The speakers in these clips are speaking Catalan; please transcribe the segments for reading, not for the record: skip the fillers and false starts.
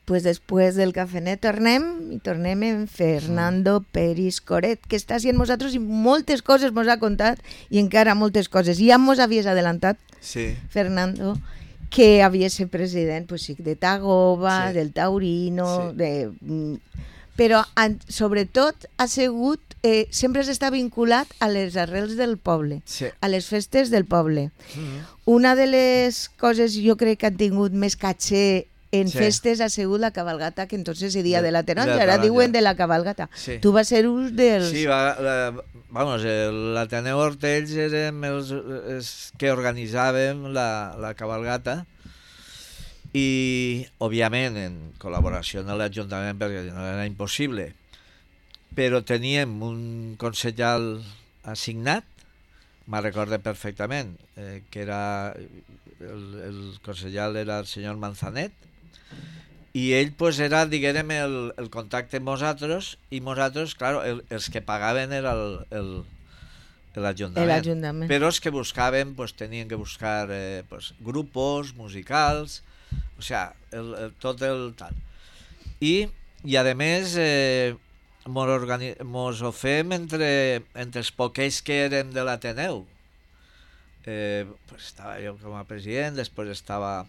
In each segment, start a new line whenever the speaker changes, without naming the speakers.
pues després del cafenet tornem en Fernando Peris Coret, que està així amb nosaltres i moltes coses mos ha contat i encara moltes coses. Ja mos havies adelantat,
Sí.
Fernando, que havia ser president, pues sí, de Tagoba,
Sí.
del Taurino,
Sí.
però sobretot ha sigut, sempre està vinculat a les arrels del poble,
Sí.
a les festes del poble.
Mm.
Una de les coses jo crec que han tingut més caché en
Sí.
festes ha sigut la cabalgata, que entonces se dia de la
De
taronja,
la
ara
taronja.
diuen de la cabalgata.
Sí.
Tu vas ser un dels...
Sí, vamos, l'Ateneu Hortells érem els que organitzàvem la cabalgata i, òbviament, en col·laboració amb l'Ajuntament, perquè no era impossible, però teníem un consellal assignat, me'n recorde perfectament, que era el consellal era el senyor Manzanet, i ell pues, era, diguem, el contacte amb nosaltres, i nosaltres, clar, els que pagaven era l'Ajuntament.
L'Ajuntament.
Però els que buscaven pues, tenien que buscar pues, grupos musicals, o sea, tot el tal. I a més, mos ho fem entre els poquets que érem de l'Ateneu. Pues estava jo com a president, després estava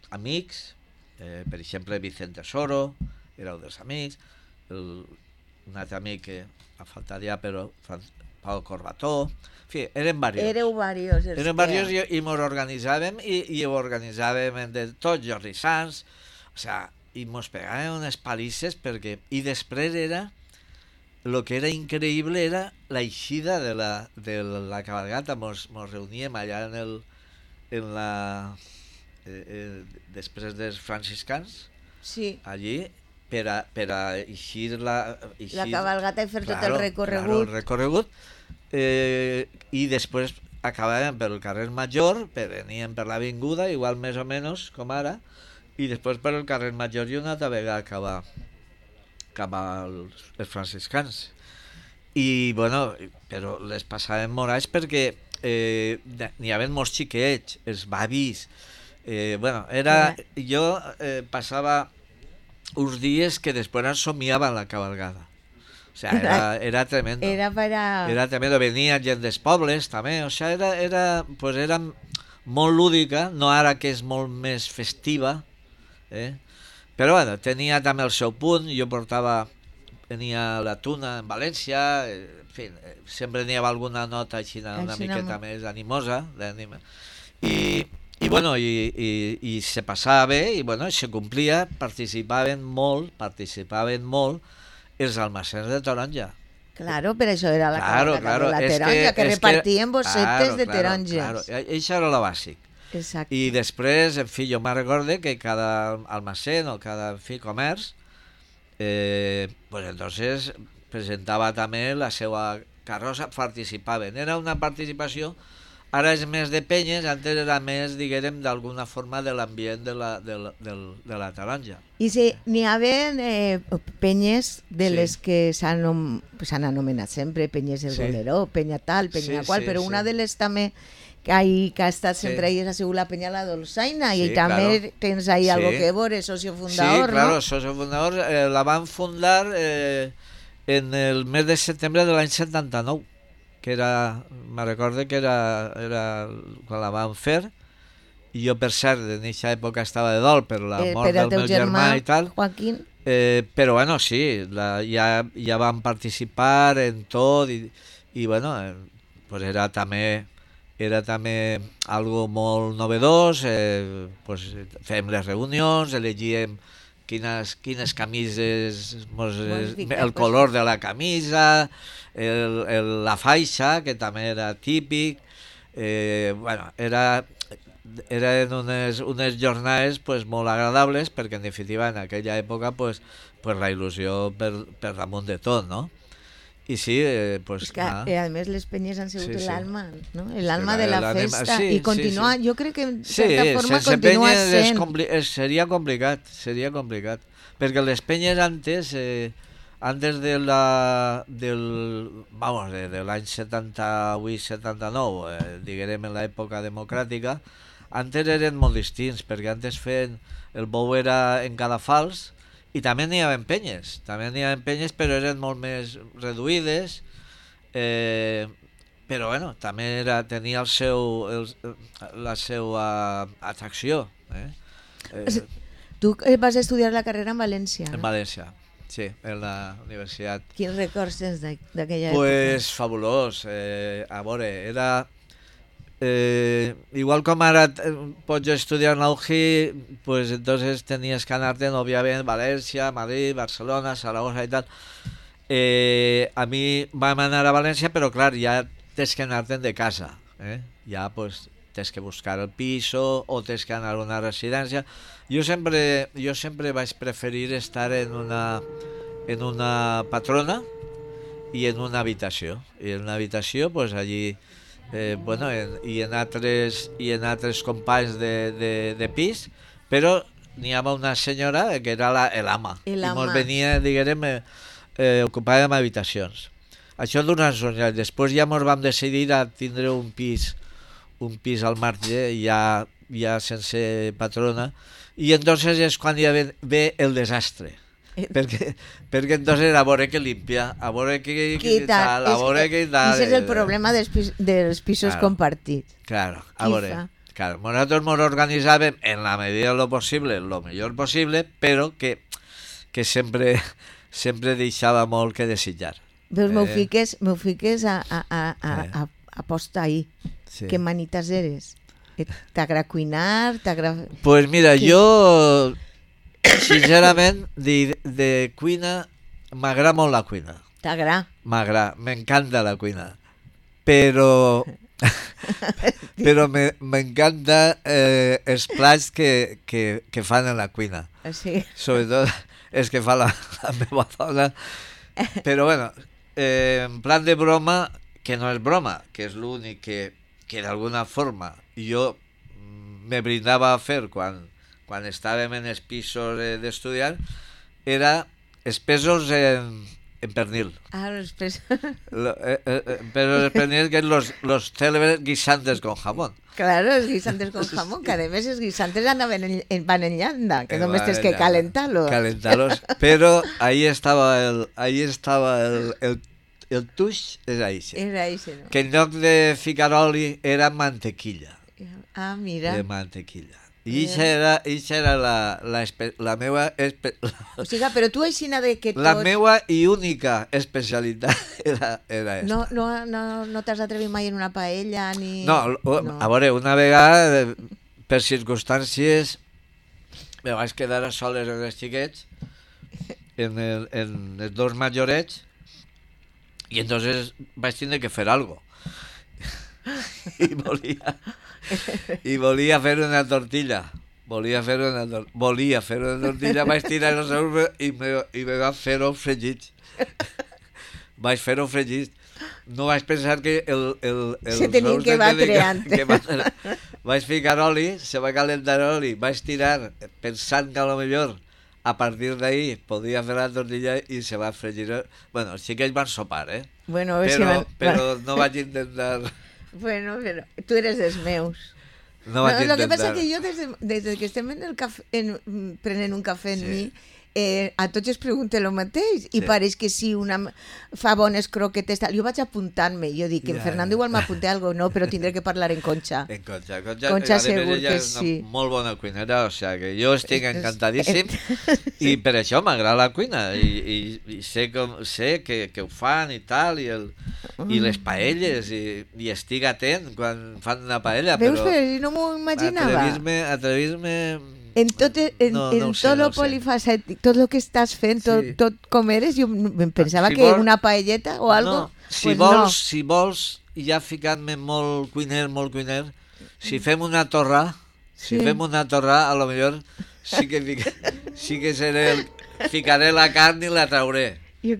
amics, per exemple Vicente Soro era un dels amics, un altre amic que ha faltat ja, però Pau Corbató, en fi, eren diversos.
Éreu
Diversos i mos organitzàvem i ho organitzàvem entre tots, Jordi Sans, o sea, i mos pegàvem unes palisses perquè... I després era... El que era increïble era l'eixida de la cabalgata. Mos reuníem allà en la... després dels franciscans,
sí.
allí, per a eixir la
cabalgata i fer tot el recorregut.
Claro, el recorregut. I després acabàvem pel carrer Major, veníem per l'avinguda, igual més o menys com ara, i després per el carrer Major i una altra vegada acabar els franciscans. I, bueno, però les passàvem morals perquè n'hi havia molts xiquets, els bavis. Bueno, jo passava uns dies que després somiava en la cabalgada. O sea, era tremendo. Era tremendo. Venien gent dels pobles també. O sea, era molt lúdica, no ara que és molt més festiva, però bueno, tenia també el seu punt. Jo tenia la Tuna en València, en fi, sempre n'hi havia alguna nota així una miqueta més animosa, i bueno, i se passava bé, i bueno, se complia, participaven molt els almacens de taronja.
Claro, per això era la cabalgata de la taronja, que repartien bossetes de taronges.
Claro, això era lo bàsic.
Exacte.
I després, en fi, jo me'n recorde que cada almacén o cada comerç pues entonces presentava també la seva carrossa, participaven. Era una participació, ara és més de penyes, antes era més, diguem, d'alguna forma de l'ambient de la taronja.
I si n'hi havia penyes de les que s'han anomenat sempre, penyes del Boleró, penya tal, penya qual, però una de les també que ha estat sempre ahí ha sigut la penya La Dolçaina, i també tens ahí algo que veure, socio fundador,
sí, claro,
¿no?
socio fundador, la van fundar en el mes de setembre de l'any 79, que era, me recorde que era quan la van fer, i jo per cert en aquesta època estava de dol per la mort del meu germà i tal,
Joaquín.
Però bueno, sí, ja van participar en tot i bueno, pues era també algo molt novedós, pues fem les reunions, elegíem quines camises, el color de la camisa, la faixa, que també era típic, bueno, eren unes jornades pues, molt agradables, perquè en definitiva en aquella època pues, la il·lusió per damunt de tot, no? I sí, pues...
És que, a més, les penyes han sigut l'alma, no? L'alma de la festa. I continua, jo crec que en certa forma continua sent.
Seria complicat, perquè les penyes antes de l'any 78-79, diguem en l'època democràtica, antes eren molt distints, perquè antes feien... El bou era en cadafals i també n'hi havia penyes. També n'hi havia penyes, però eren molt més reduïdes. Però bueno, també tenia la seva atracció.
Tu vas estudiar la carrera en València, no?
En València, sí, en la universitat.
Quins records tens d'aquella època?
Pues fabulós. A veure, era... igual com ara pots estudiar en la UGI, pues entonces tenías que anarte obviamente València, Madrid, Barcelona, Zaragoza y tal. A mi vam anar a València, però clar, ja tens que anar-te'n de casa, ja pues tens que buscar el piso o tens que anar a una residència. Jo sempre vaig preferir estar en una patrona i en una habitació. I en una habitació, pues allí, i en altres companys de pis, però n'hi havia una senyora que era l'ama. I mos venia, diguem, ocupàvem habitacions. Això durant uns anys. Després ja ens vam decidir a tindre un pis al marge, ja sense patrona, i entonces és quan ja ve el desastre. Perquè entonces a veure què limpia, a veure què tal, a veure què tal.
Ese és el problema dels pisos compartits.
Claro, a veure. Claro, nosotros nos organizàvem en la medida de lo possible, lo millor possible, però que sempre deixava molt que desitjar.
Veus, m'ho fiques a posta ahí. Sí. Que manitas eres? T'agrada cuinar?
Pues mira, jo sincerament de cuina m'agrada molt la cuina.
T'agrada?
M'agrada, m'encanta la cuina. Però m'encanta els plats que fan en la cuina.
Sí.
Sobretot els que fa la meva dona. Però bueno, en plan de broma, que no és broma, que és l'únic que d'alguna forma jo me brindava a fer quan estàvem en els pisos d'estudiar, era els pesos en pernil.
Los pesos.
Pesos en pernil, que es los célebres guisantes con jamón.
Claro, los guisantes con jamón, que además los guisantes van en llanda, que només tens que calentar-los.
Calentar-los, pero ahí estaba el tuix, és així.
Era així, no?
Que en lloc de ficar oli era mantequilla.
Ah, mira.
De mantequilla. I això era la meva...
O sigui, però tu aixina de que tots...
La meva i única especialitat era esta.
No t'has atrevit mai en una paella ni...
No, a veure, una vegada, per circumstàncies, me vaig quedar a soles amb els xiquets, en els dos majorets, i entonces vaig tindre que fer algo. I volia fer una tortilla. Volia fer una tortilla, vaig tirar els ous i me van fer-ho fregits. Vaig fer-ho fregits. No vaig pensar que
se tenien que batre antes.
Vaig ficar oli, se va calentar oli, vaig tirar pensant que a lo millor a partir d'ahí podia fer la tortilla i se va fregir. Bueno, sí que ells van sopar,
Bueno,
però no vaig intentar...
Bueno, però tu eres dels meus.
No vaig intentar.
Lo que passa que jo des que estem prenent un cafè en mi, a tots es pregunta el mateix i pareix que si una fa bones croquetes tal. Jo vaig apuntant-me, jo dic que en Fernando igual m'apunta algo, no, però tindré que parlar en Concha.
En Concha
segur que sí.
Molt bona cuinera, o sea que jo estic encantadíssim i per això m'agrada la cuina i sé que ho fan i tal, i les paelles, i estic atent quan fan una paella.
Veus, però no m'ho imaginava.
Atrevir-me...
En tot lo polifacètic, tot el que estàs fent, tot com eres, jo em pensava que una paelleta o algo...
No, si vols, ja ficant-me molt cuiner, si fem una torra, a lo millor sí que ficaré la carn i la trauré. Jo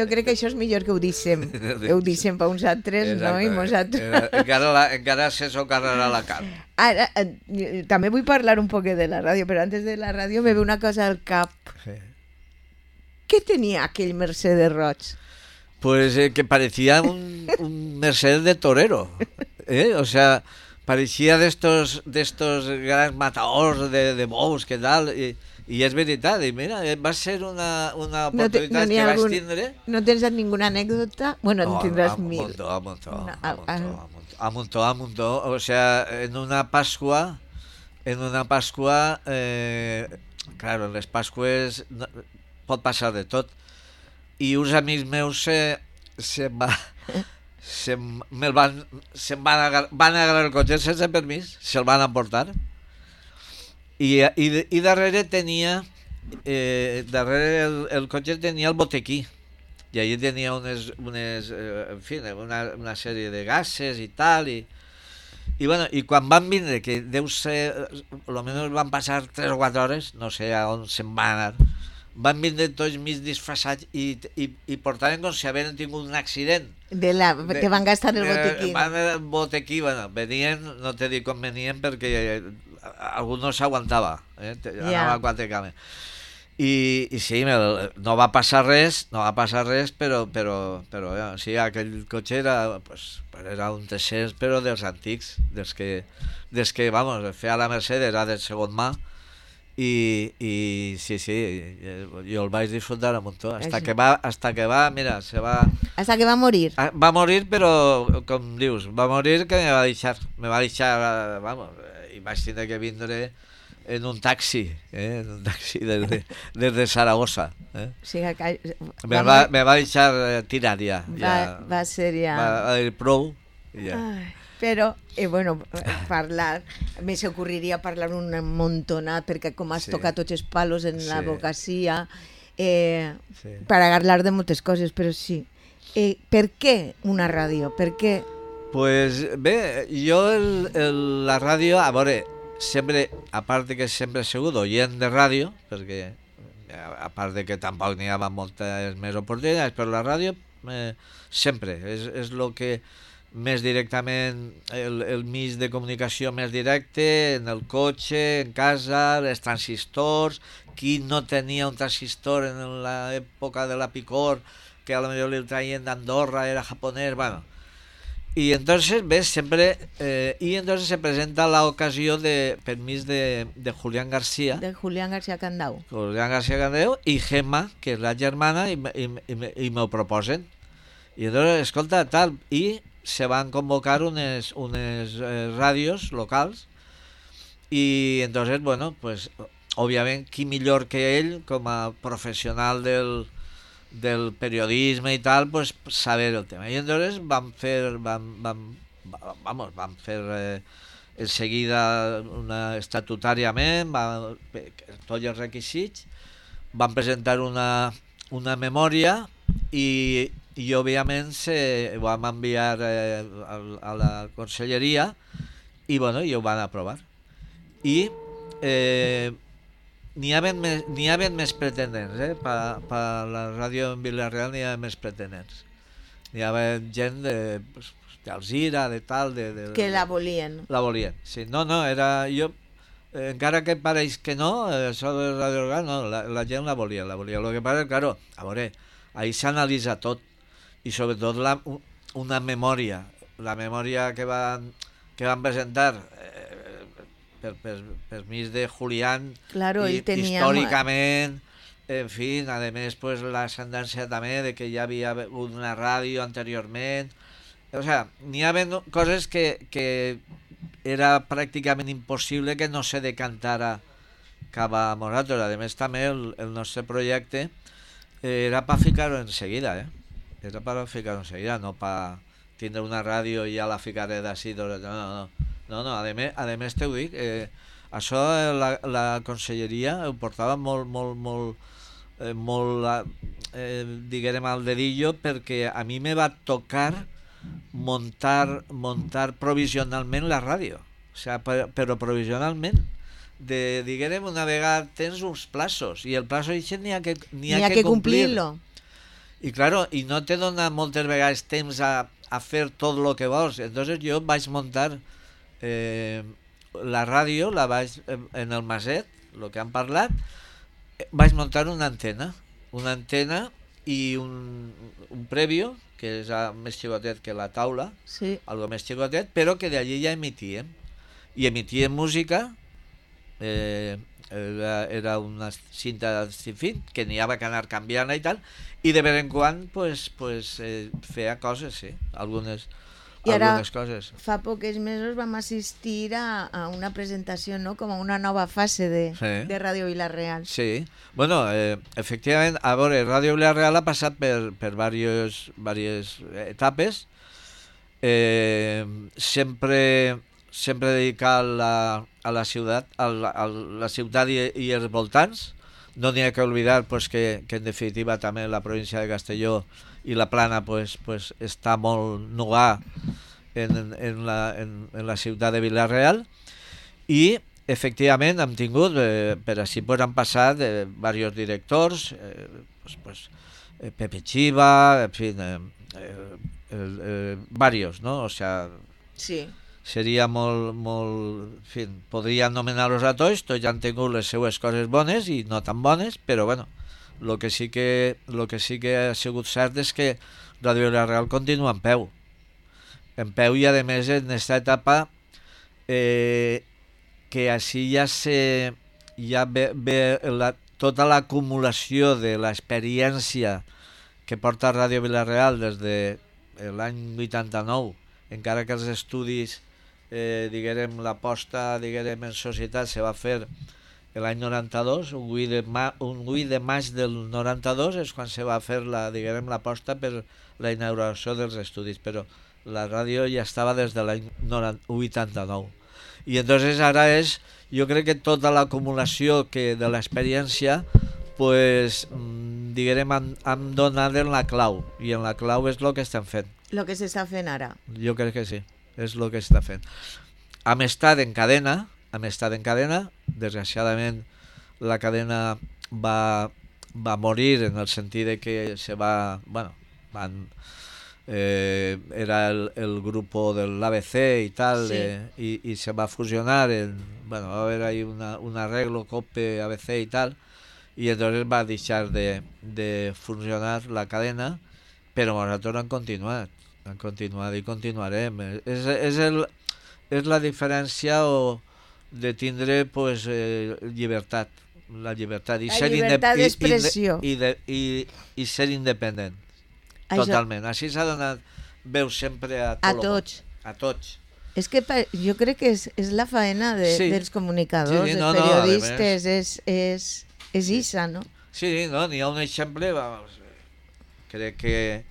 crec que això és millor que ho deixem. Ho deixem per uns altres, no? I nosaltres... Encara se socarrarà la carn.
Ara, també vull parlar un poc de la ràdio, però antes de la ràdio me ve una cosa al cap. Què tenia aquell Mercedes roig?
Pues que parecía un Mercedes de torero. O sea, pareixia d'estos grans matadors de bous, que tal, i és veritat, i mira, va ser una oportunitat que vaig tindre.
¿No tens ninguna anécdota? Bueno, no, tendrás mil.
A montó. O sea, en una Pascua, claro, en les Pasques pot passar de tot. I uns amics meus se'n van agarrar el cotxe sense permís, se'l van emportar. I darrere tenia, darrere el cotxe tenia el botequí. I allí tenia en fi, una sèrie de gases i tal, i bueno, i quan van vindre, que deu ser, almenys van passar 3 o 4 hores, no sé a on se'n van anar, van vindre tots mig disfressats i portaven com si havien tingut un accident.
Que van gastar el botequí.
El botequí, bueno, venien, no te dic com venien, perquè algú no s'aguantava, anava a 4 cames. I sí, no va passar res, però sí, aquell cotxe era un 300, però dels antics, dels que vamos, feia la Mercedes, era de segon mà, i sí, jo el vaig disfrutar un muntó, hasta que va, mira,
hasta que va morir.
Va morir, però, com dius, va morir que me va deixar, vamos, i vaig tindre que vindre en un taxi des de Saragossa.
O sigui que
me va deixar tirat ja.
Va ser ja...
Va dir prou i ja.
Però, bueno, me s'ocorriria parlar un montonat, perquè com has tocat tots els palos en la advocacia, per parlar de moltes coses, però sí. Per què una ràdio? Per què?
Pues bé, jo la ràdio, a veure, sempre, a part de que sempre he sigut oient de ràdio, perquè a part de que tampoc n'hi havia moltes més oportunitats, però la ràdio sempre és el que més directament, el mig de comunicació més directe, en el cotxe, en casa, els transistors, qui no tenia un transistor en l'època de la Picor, que a lo mejor li traien d'Andorra, era japonès, bueno. Y entonces, ves, siempre, y entonces se presenta la ocasión de permiso de Julián García.
De Julián García Candau.
Julián García Candau y Gemma, que es la germana, y me lo proposen. Y entonces, escolta, tal, y se van convocar unes radios locals, y entonces, bueno, pues, obviamente, qui millor que ell, com a professional del periodisme i tal, pues saber el tema. I entonces van fer enseguida estatutàriament tots els requisits, van presentar una memòria i òbviament ho vam enviar a la conselleria i bueno, i ho van aprovar. I n'hi havia més pretendents, per la ràdio en Vila-real n'hi havia més pretendents. N'hi havia gent d'Alzira, de tal...
Que la volien.
La volien, sí. No, era... Jo, encara que pareix que no, això de Ràdio Orgal, no, la gent la volia. Lo que passa és, claro, a veure, ahí s'analitza tot, i sobretot una memòria. La memòria que van presentar... per mig de Julián,
claro,
històricament, en fi, a més, pues, l'ascendència també de que ja havia hagut una ràdio anteriorment, o sea, n'hi havia coses que era pràcticament impossible que no se decantara cap a nosaltres. A més, també el nostre projecte era per ficar-ho en seguida, era per ficar-ho en seguida, no per tindre una ràdio i ja la ficaré d'ací, no, a més t'ho dic, això la conselleria ho portava molt diguem al dedillo, perquè a mi me va tocar montar provisionalment la ràdio, o sea, però provisionalment, diguem, una vegada tens uns plazos i el plazo n'hi ha que complir-lo, i claro, i no te dona moltes vegades temps a fer tot el que vols. Entonces jo vaig muntar la ràdio, la vaig en el Maset, el que han parlat, vaig muntar una antena i un prèvio, que és més xicotet que la taula, algo més xicotet, però que d'allí ja emitíem. I emitíem música, era una cinta sin fin, que n'hi havia que anar canviant i tal, i de vez en quan feia coses, sí, algunes coses.
Fa pocs mesos vam assistir a una presentació, no?, com a una nova fase de Ràdio Vila-real.
Sí, bueno, efectivament, a veure, Ràdio Vila-real ha passat per diverses etapes, sempre dedicat a la ciutat, i els voltants. No n'hi ha que oblidar que en definitiva també la província de Castelló i la Plana està molt nugà en la ciutat de Vila-real, i efectivament hem tingut, per així han passat diversos directors, Pepe Chiva, en fi, varios, ¿no? O sea,
sí.
Seria molt, en fi, podria anomenar-los a tots han tingut les seues coses bones i no tan bones, però bueno, el que sí que ha sigut cert és que Ràdio Vila-real continua en peu i a més en aquesta etapa que així ja ve tota l'acumulació de l'experiència que porta Ràdio Vila-real des de l'any 89, encara que els estudis, l'aposta en societat se va fer l'any 92, un 8 de maig del 92 és quan se va fer l'aposta per la inauguració dels estudis, però la ràdio ja estava des de l'any 89. I entonces ara jo crec que tota l'acumulació de l'experiència hem donat en la clau, i en la clau és el que estem fent.
El que s'està fent ara.
Jo crec que sí, és el que està fent. Hem estat en cadena, desgraciadament la cadena va morir en el sentit de que era el grupo del ABC y tal, sí. Y se va a fusionar, va a haber ahí un arreglo COPE, ABC y tal, y entonces va a dejar de funcionar la cadena, pero nosotros han continuado y continuarem. És la diferència de tindre llibertat, la llibertat
d'expressió
i ser independent. Totalment. Així s'ha donat veu sempre a tots.
És que jo crec que és la faena dels comunicadors, dels periodistes, és isa, no?
Sí, n'hi ha un exemple, crec que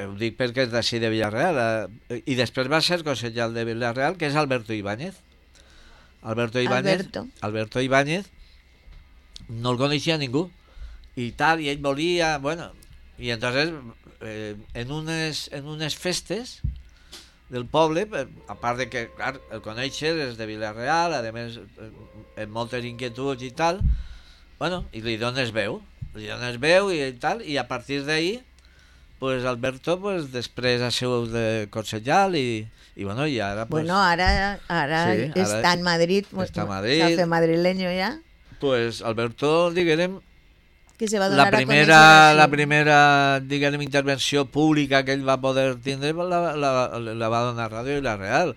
ho dic perquè és d'ací de Vila-real, i després va ser consellal de Vila-real, que és Alberto Ibáñez. Alberto Ibáñez no el coneixia ningú, i tal, i ell volia, i entonces en unes festes del poble, a part de que clar, el conèixer és de Vila-real, a més amb moltes inquietuds i tal, i li dones veu i tal, i a partir d'ahir Alberto després ha sigut concejal i ara
ara està en Madrid, s'ha fet madrileño ja.
Alberto, diguem,
que se va donar la
primera intervenció pública que ell va poder tindre la va donar Ràdio Vila-real.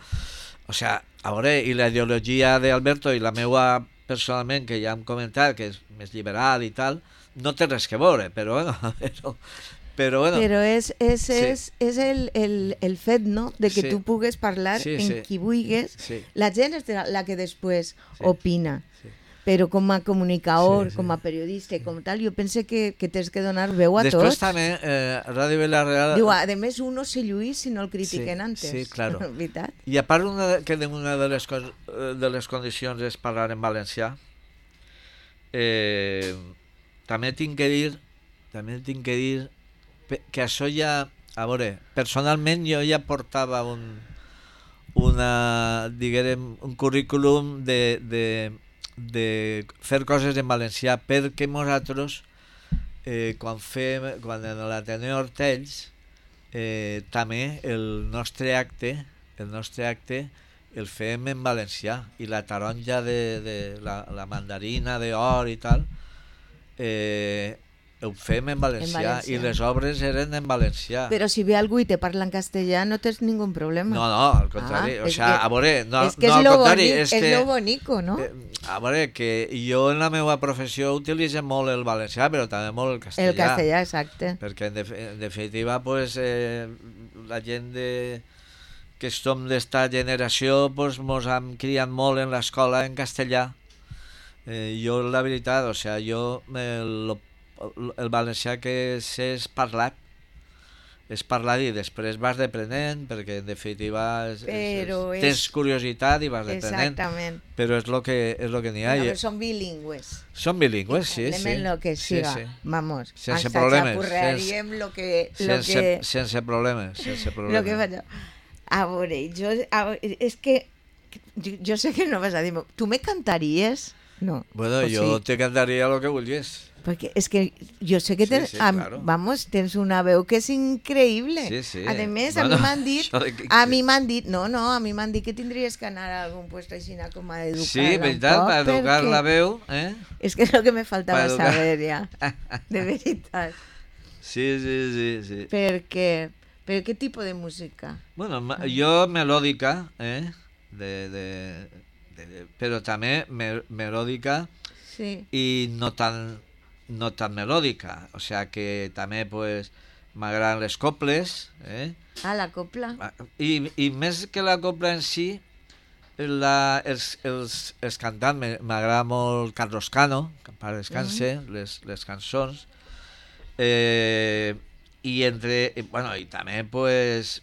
O sea, a veure, i la ideologia d'Alberto i la meua personalment, que ja hem comentat, que és més liberal i tal, no té res que veure, però
Però és el fet, no?, de que tu pugues parlar en qui vulguis. La gent és la que després opina. Però com a comunicador, com a periodista, com tal, jo penso que tens que donar veu a tots.
Després també, Ràdio Vila-real...
Diu, a més, uno se lluís si no el critiquen antes.
Sí, claro.
¿Veritat?
I a part, una de les condicions és parlar en valencià. També tinc que dir que això ja... A veure, personalment jo ja portava un currículum de fer coses en valencià, perquè nosaltres quan en l'Ateneu Hortells també el nostre acte el fem en valencià, i la taronja de la mandarina d'or i tal ho fem en valencià i les obres eren en valencià.
Però si ve algú i te parla en castellà no tens ningú problema.
No, al contrari. O sea, a veure, no,
és que
no,
és
al
lo
contrari.
bonic,
És que,
lo bonico, no?
A veure, que jo en la meva professió utilitzo molt el valencià, però també molt el castellà.
El castellà, exacte.
Perquè en definitiva, pues, la gent que som d'esta generació pues, mos hem criat molt en l'escola en castellà. Jo, la veritat, o sea, jo el valencià que sé és parlat i després vas deprenent, perquè en definitiva tens curiositat i vas deprenent.
Exactament.
Però és lo que n'hi ha.
Però són bilingües.
Són bilingües, sí.
Lo que siga.
Sí.
Vamos.
Sense problemes. Sense problemes.
Lo que faig. A veure, és que jo sé que no vas a dir, tu me cantaries? No.
Bueno, jo te cantaria lo que vulguis.
Perquè és que jo sé que tens,
claro.
Vamos, tens una veu que és increïble.
Sí.
A més, a mi m'han dit, a mi m'han dit que tindries que anar a algun lloc així com a educar-la
sí, veritat, per educar la veu.
És que és el que me faltava saber ja, de veritat.
Sí.
Per què tipus de música?
Bueno, jo melòdica, però també melòdica i no tan melòdica, o sea que també pues, m'agraden les coples.
La copla.
I més que la copla en si, els cantants, m'agrada molt Carlos Cano, que en pare descanse, les cançons, i també pues,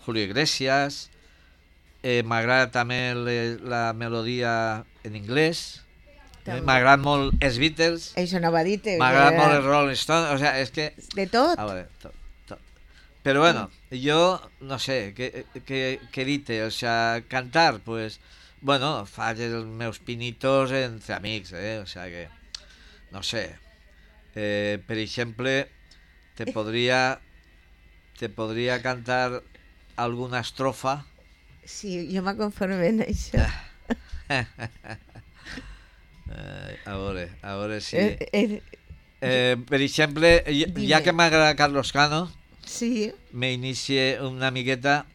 Julio Iglesias, m'agrada també la melodia en anglès, m'agrada molt els Beatles, m'agrada molt els Rolling Stones, o sea, és que...
De tot?
Tot. Però bueno, jo no sé, què dir-te, o sea, cantar, pues, bueno, faig els meus pinitos entre amics, o sea que, no sé, per exemple, te podria cantar alguna estrofa.
Sí, jo m'aconformo en això.
A veure si... per exemple, ja que m'agrada Carlos Cano, me inicie una miqueta,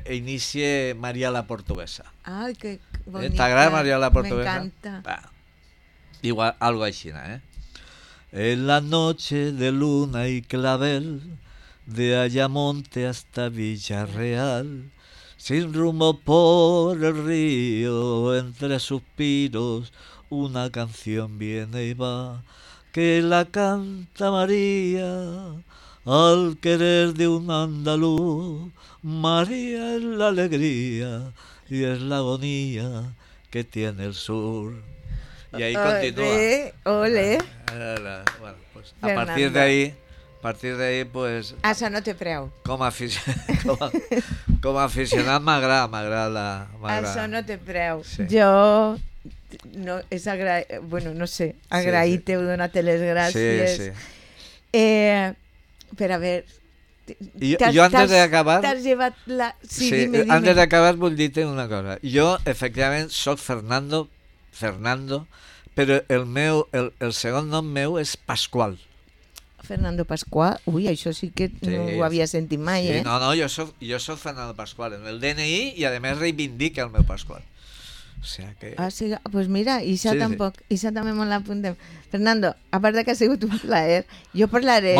inicie María la Portuguesa.
Ai, que bonica.
¿T'agrada María la Portuguesa?
M'encanta.
Igual, algo així, En la noche de luna y clavel, de Ayamonte hasta Villarreal, sin rumbo por el río, entre suspiros, una canción viene y va, que la canta María, al querer de un andaluz. María es la alegría y es la agonía que tiene el sur. Y ahí continúa.
Ole.
Bueno, pues, a partir de ahí, pues...
Això no té preu.
Com a aficionat m'agrada.
Això no té preu. Sí. Jo... No, és no sé, agrair-te-ho, donar-te les gràcies. Per a veure...
Jo antes d'acabar...
T'has llevat la...
Sí, dime. Antes d'acabar vull dir-te una cosa. Jo, efectivament, soc Fernando, però el segon nom meu és Pasqual.
Fernando Pasqual? Ui, això sí que no ho havia sentit mai,
sí, No, jo soc Fernando Pasqual. En el DNI i, a més, reivindica el meu Pasqual. O sea que...
sí, pues mira, Isa tampoc. Isa també me l'apuntem. Fernando, a part que ha sigut un plaer, jo parlaré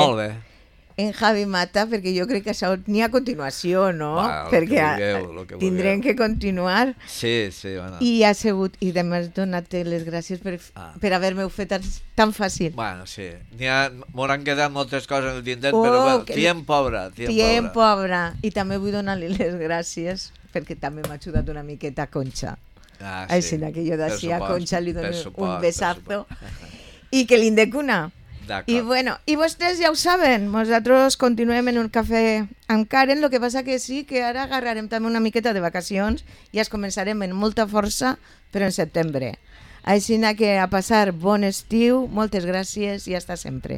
en Javi Mata, perquè jo crec que això n'hi ha continuació, no? Perquè tindrem que continuar.
Sí, bueno.
I ha sigut, i demés donar-te les gràcies per haver-me-ho fet tan fàcil.
Bueno, sí. M'hauran quedat moltes coses en el tintet, però bueno, tiempo habrá.
I també vull donar-li les gràcies, perquè també m'ha ajudat una miqueta Concha. Així que jo d'ací a Concha li dono un besazo i que l'indecuna. I bueno, i vostès ja ho saben, nosaltres continuem en un cafè amb Karen, el que passa que sí que ara agarrarem també una miqueta de vacacions i es començarem amb molta força, però en setembre. Així que a passar bon estiu, moltes gràcies i hasta sempre.